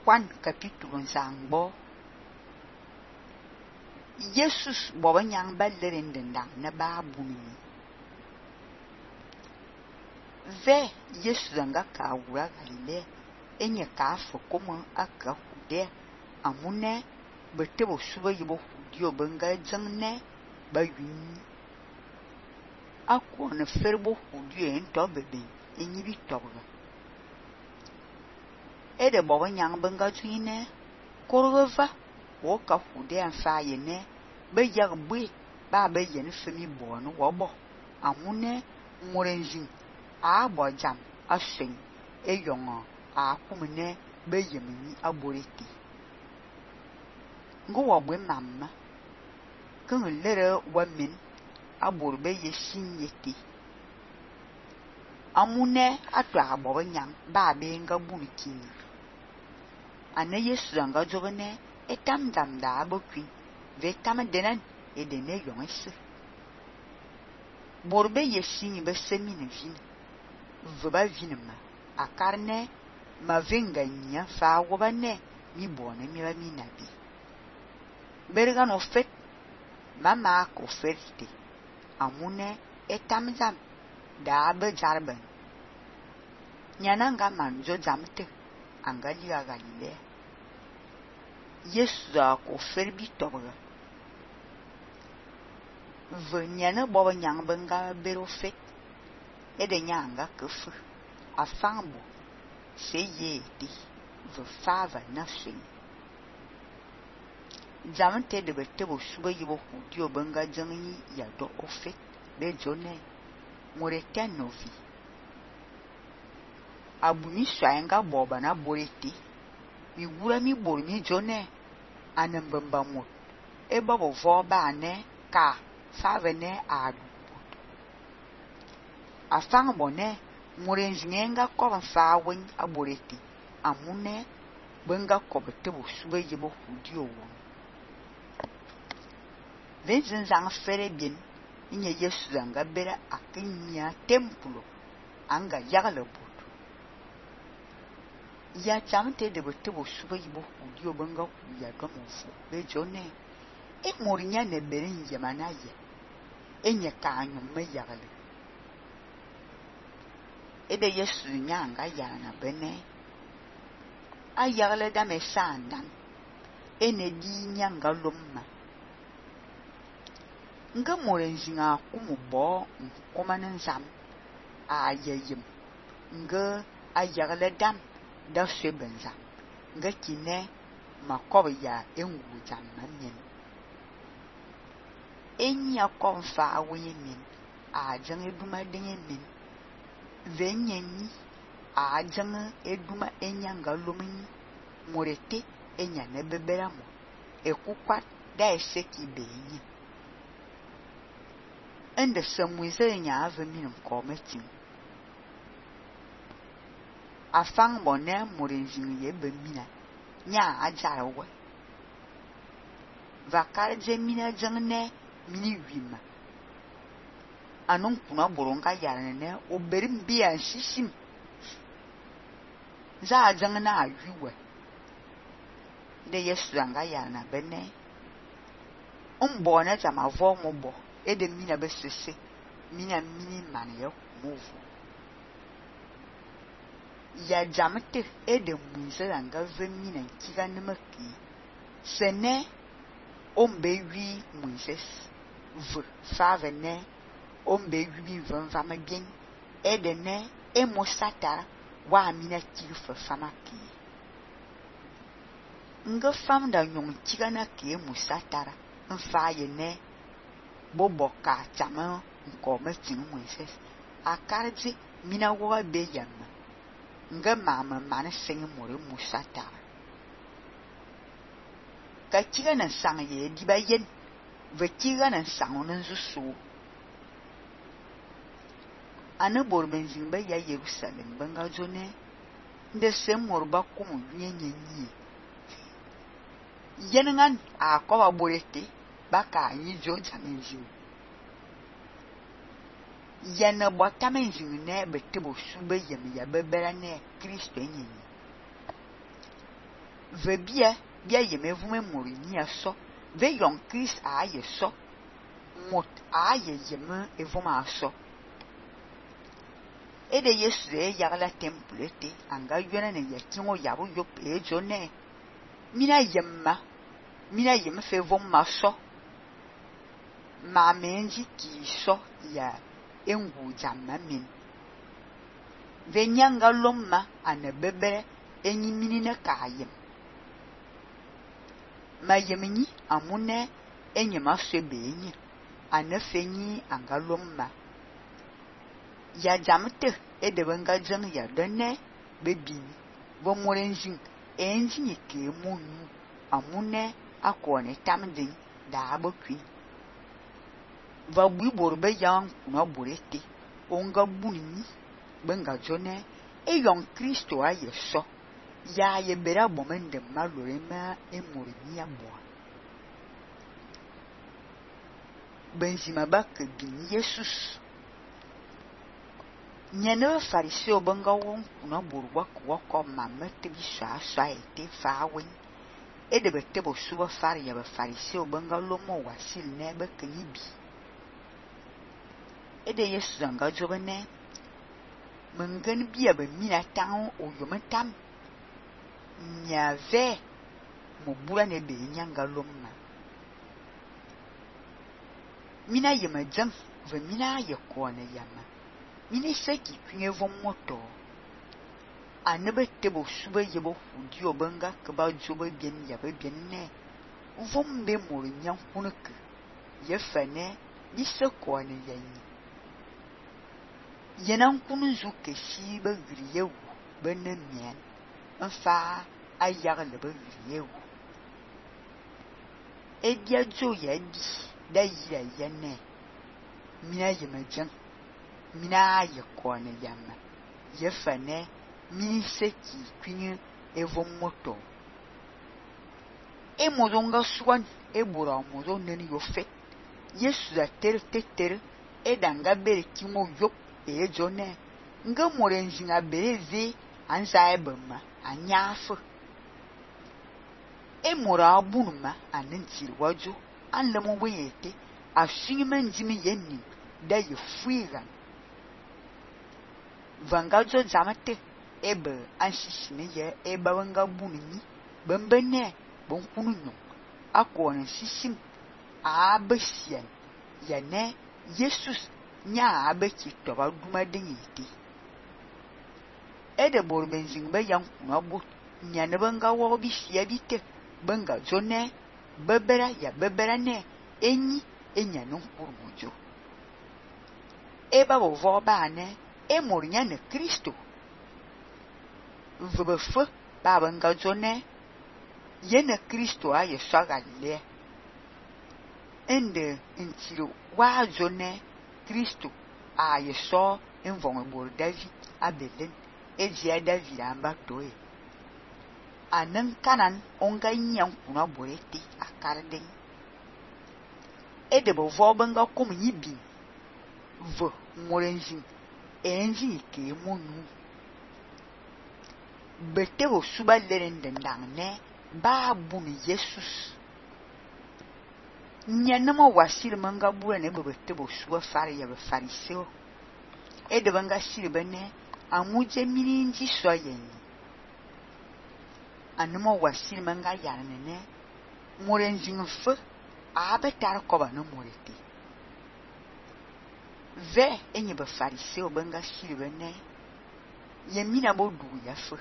Kwan capítulo nzangbo. Jesus boba nyang ba lerendendang na ba buni. Ve Jesus anga ka wura Galilea enye ka fa kuma aka hude amune betebo suba yibo hudio benga jangne ba yuni. Akwa na ferbo hudio ento bebe enyi bi toga. Ede boba nyang benga juine korova wo ka hude anfa yene be yag bui ba be yen femi bono wobo amune morenjin a bojam aseng eyongo a kumene be yemini aboreti ngo wobwe mamma kan lere wamin abor be yesin yeti amune atwa boba nyang ba be nga bunkin ane Yesu anga jogene etam dam da abokin vetam denan edene yongese borbe yesin be semine vin veba vinma akarne ma venga nya fa wobane mi bone mi ba mi nabi berga no fet mama ko ferte amune etam dam da be jarben nyananga manjo jamte angali ga Galilea Yesu ko ferbi toga venyana boba nyang benga bero fet ede nyanga kufu afambo seye di ve fava nafsin jamante de betebo suba yibo hudio benga jangi ya do ofet be jone moreten novi abuni swaenga boba na boreti mi wura mi bor mi jone anambamba mot e babo voba ne ka favene adu afang bone morenjinga ko fa wen aboreti amune benga ko betebo suba yibo hudio wo Vincent zang fere bien inye Yesu zanga bera akinya templo anga yagale bodo ya jamte de betebo suba yibo hudio benga ku ya domofu be jone e morinya ne berin yemanaye enye ka anyum me yagale ede Yesu nyanga yana bene ayagale da me sandan ene di nyanga lomma nga morenjinga kumubo nkomanen zam ayeyim nga ayagale dam da sebenza nga kine makob ya engu jam manen enya konfa awenyen a jange duma denyen venyenyi a jange eduma enyanga lumini morete enya ne beberamo ekukwa da eseki benye ende samwize nya aveminum kometin afang bone morenjin ye bemina nya ajarawe vakar jemina jangne mini wima anun kuna boronga yarane oberim biya shishim za jangna awiwe de Yesu anga yana bene umbona jama vo mobo ede mina besese mina mini mane yo move ya jamte ede munse anga ve mina kiga nemaki sene ombe wi munses v favene ombe wi vanva magin ede ne emosata wa mina kifa famaki nga famda nyong kiga na ke musatara mfa ye ne boboka chama nkome tinu munses akarji mina wa be yamma nga mama mana sengi more musata ka kiga na sang ye di ba yen ve kiga na sang on nzusu ana bor benzin ba ya Jerusalem banga jone nde semor ba kumu nyenyenyi yenengan a ko ba borete baka yi jo jamenji yana botamenji ne betebo sube yem ya bebera ne Kristo enyi ve bia yeme vume mori ni aso ve yon Christ a ye so mot a ye yeme evuma aso ede Yesu e yagla temple te anga yona ne yakingo yabo yop e jone mina yem fe vuma so ma menji ki so ya engu jamma min ve nyanga lomma ane bebere enyi minine kayem ma yemni amune enyema sebe enyi ane fenyi anga lomma ya jamte edebenga jeng ya dene bebini bo morenjin enji ke munu amune akone tamdin da abokwi va bui borbe yang kuna borete onga bunni benga jone e yon Kristo aye so ya ye bera bomende malorema e morini abo benzima bak bin Jesus nyane fariseo benga won kuna borwa ko mamete bi swa ete fawen e de betebo suba fari ya ba fariseo benga lomo wasil ne be knibi e de Yesu zanga jobene mengen bia be mina tan o yomentam nyave mo bura ne be nyanga lomma mina yema jam ve mina ye kone yama mina seki kwinye vom moto anebe tebo suba yebo fudi obenga keba jobe bien yabe bien ne vom be mori nyam kunek ye fane ni se kone yanyi yenan kunu zu keshi be griyewu benne mien enfa ayagle be griyewu edia jo ya di da yira yenne mina yemejan mina ye kone yamma ye fane mi seki kwinye evon moto e mozonga swan e bura mozo neni yo fet Yesu da ter e danga bere kimo yop e jone nga morenjinga bereze anza ebema anyafu e mora abunuma anentiri waju anlemo weyete ashinime njimi yenni da ye fuigan vangajo jamate ebe anshishime ye eba wanga bunni bembene bonkunu nyo akone shishim abesien yene Jesus nya abeki toba duma denyiti ede borbenzing be yankuna bo nyane banga wo bi sia bite banga jone bebera ne enyi enyane nkurmujo eba bo voba ne e morinya ne Kristo vbefe ba banga jone yene Kristo aye swagale ende intiro wa jone Kristo aye so envon bor David abelen ejia David amba toe anan kanan onga nyan kuna borete akarden ede bo vo banga kom yibi vo morenjin enji ke monu bete bo suba lerende ndangne ba bunu Jesus nyanama wasir manga bura ne bete bo suba fari ya fariseo ede banga sirbene amuje mininji soyen anuma wasir manga yarnene morenjin fe abetar koba no morete ve enye ba fariseo banga sirbene yemina bodu ya fe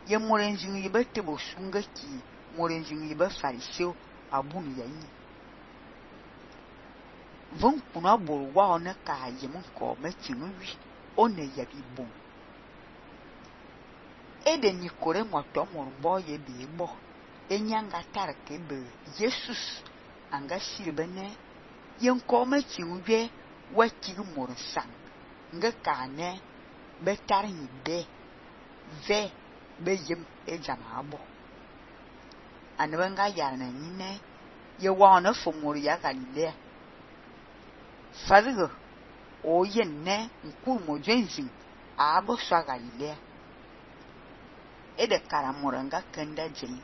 ye morenjin yibete bo sunga ki morenjin yiba fariseo abunu yanyi von kuna borwa ona ka yemun ko metinu wi one yabi bon ede ni kore moto morbo ye bi bo enyanga tarke be Jesus anga sirbene yen ko metinu wi wati morsan nga kane betarin be ve beyem ejama abo anwenga yana nyine ye wana fomori ya Galilea fadigo o yenne nkumo jenzi abo swa Galilea e de karamoranga kenda jeli